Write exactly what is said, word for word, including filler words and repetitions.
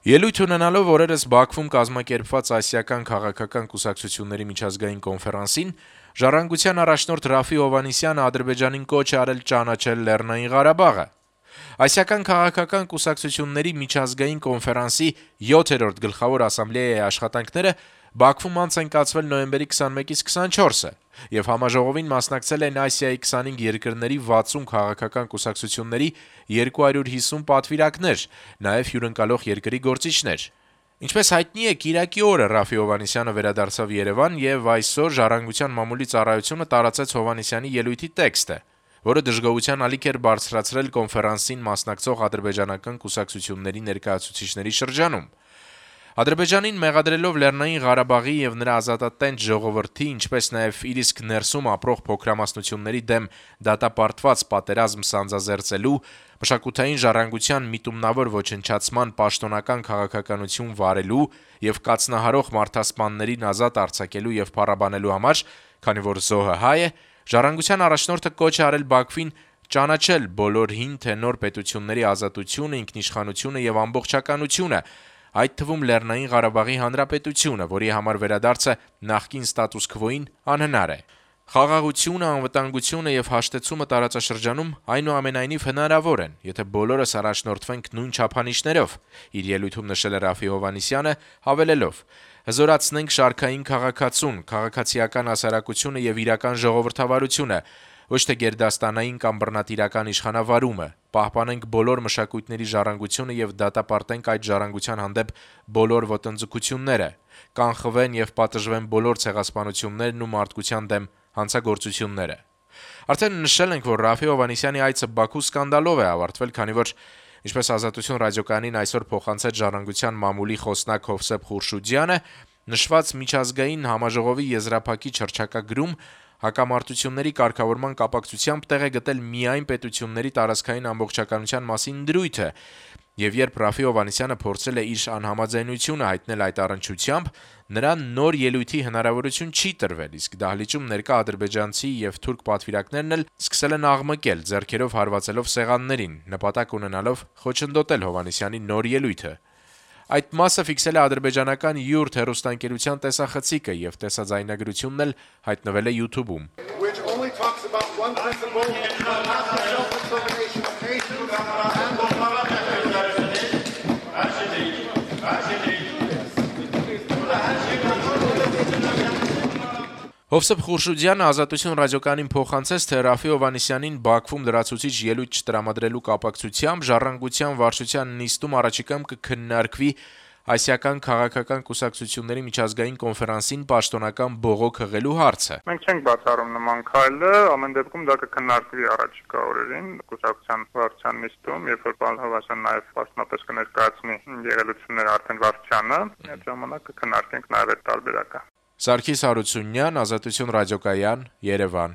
Ելույթ ունենալով օրերս Բաքվում կազմակերպված ասիական քաղաքական կուսակցությունների միջազգային կոնֆերանսին, Ժառանգության առաջնորդ Ռաֆի Հովհաննիսյանը Ադրբեջանին կոչ է արել ճանաչել Լեռնային Ղարաբաղը։ Ասիական քաղաքական կուսակցությունների միջազգային կոնֆերանսի յոթերորդ գլխավոր ասամբլեայի աշխատանքները Բաքվում անց են կացվել նոյեմբերի քսանմեկից քսանչորսը, եւ համաժողովին մասնակցել են Ասիայի քսանհինգ երկրների վաթսուն քաղաքական կուսակցությունների երկու հարյուր հիսուն պատվիրակներ, նաեւ հյուրընկալող երկրի գործիչներ։ Ինչպես հայտնի է, կիրակի օրը Ռաֆի Հովհաննիսյանը վերադարձավ Երևան եւ այսօր Ժառանգության մամուլի ծառայությունը տարածեց Հովհաննիսյանի ելույթի տեքստը, որը դժգոհության ալիք էր բարձրացրել կոնֆերանսին մասնակցող ադրբեջանական կուսակցությունների ներկայացուցիչների շրջանում։ Ադրբեջանին մեղադրելով Լեռնային Ղարաբաղի եւ նրա ազատատենչ ժողովրդի, ինչպես նաեւ իր իսկ ներսում ապրող փոքրամասնությունների դեմ դատապարտված պատերազմ սանձազերծելու, մշակութային ժառանգության միտումնավոր ոչնչացման պաշտոնական քաղաքականություն վարելու եւ կացնահարող մարդասպաններին ազատ արձակելու եւ փառաբանելու համար, քանի որ զոհը հայ է, Ժառանգության առաջնորդը կոչ է արել Բաքվին ճանաչել բոլոր հին թե նոր պետությունների ազատությունը, ինքնիշխանությունը եւ ամբողջականությունը, այդ թվում Լեռնային Ղարաբաղի Հանրապետությունը, որի համար վերադարձը նախկին ստատուս քվոին անհնար է։ Խաղաղությունը, անվտանգությունը եւ հաշտեցումը տարածաշրջանում այնուամենայնիվ հնարավոր են, եթե բոլորս առաջնորդվենք նույն չափանիշներով, իր ելույթում նշել է Ռաֆի Հովհաննիսյանը, հավելելով. «Հզորացնենք շարքային քաղաքացուն, քաղաքացիական հասարակությունը եւ իրական ժողովրդավարությունը, ոչ թե գերդաստանային կամ բռնատիրական իշխանավարումը, պահպանենք բոլոր մշակույթների ժառանգությունը եւ դատապարտենք այդ ժառանգության հանդեպ բոլոր ոտնձգությունները, կանխվեն եւ պատժվեն բոլոր ցեղասպանություններն ու մարդկության դեմ հանցագործությունները»։ Արդեն նշել ենք, որ Ռաֆի Հովհաննիսյանի այցը Բաքու սկանդալով է ավարտվել, քանի որ, ինչպես Ազատություն ռադիոկայանին այսօր փոխանցեց Ժառանգության մամուլի խոսնակ Հովսեփ Խուրշուդյանը, նշված միջազգային համաժողովի եզրափակիչ հռչակագրում հակամարտությունների կարգավորման կապակցությամբ տեղ է գտել միայն պետությունների տարածքային ամբողջականության մասին դրույթը, եւ երբ Ռաֆի Հովհաննիսյանը փորձել է իր անհամաձայնությունը հայտնել այդ առնչությամբ, նրան նոր ելույթի հնարավորություն չի տրվել, իսկ դահլիճում ներկա ադրբեջանցի եւ թուրք պատվիրակներն էլ սկսել են աղմկել, ձեռքերով հարվածելով սեղաններին, նպատակ ունենալով խոչընդոտել Հովհաննիսյանի նոր ելույթը։ Այդ մասը ֆիքսել է ադրբեջանական յուրտ հեռուստաընկերության տեսախցիկը եւ տեսաձայնագրությունն էլ հայտնվել է YouTube-ում։ Հովսեփ Խուրշուդյանը Ազատություն ռադիոկայանին փոխանցեց, թե Ռաֆի Հովհաննիսյանին Բաքվում լրացուցիչ ելույթ չտրամադրելու կապակցությամբ Ժառանգության վարչության նիստում առաջիկայում կքննարկվի ասիական քաղաքական կուսակցությունների միջազգային կոնֆերանսին պաշտոնական բողոք հղելու հարցը։ Մենք չենք բացառում նման քայլը, ամեն դեպքում դա կքննարկվի առաջիկա օրերին կուսակցության վարչության նիստում, երբ որ պարոն Հովհաննիսյանը նաև պաշտոնապես կներկայացնի եղելությունները արդեն վարչությանը, այդ ժամանակ կքննարկենք նաև այդ տարբերակը։ Սարգիս Հարությունյան, Ազատություն ռադիոկայան, Երևան։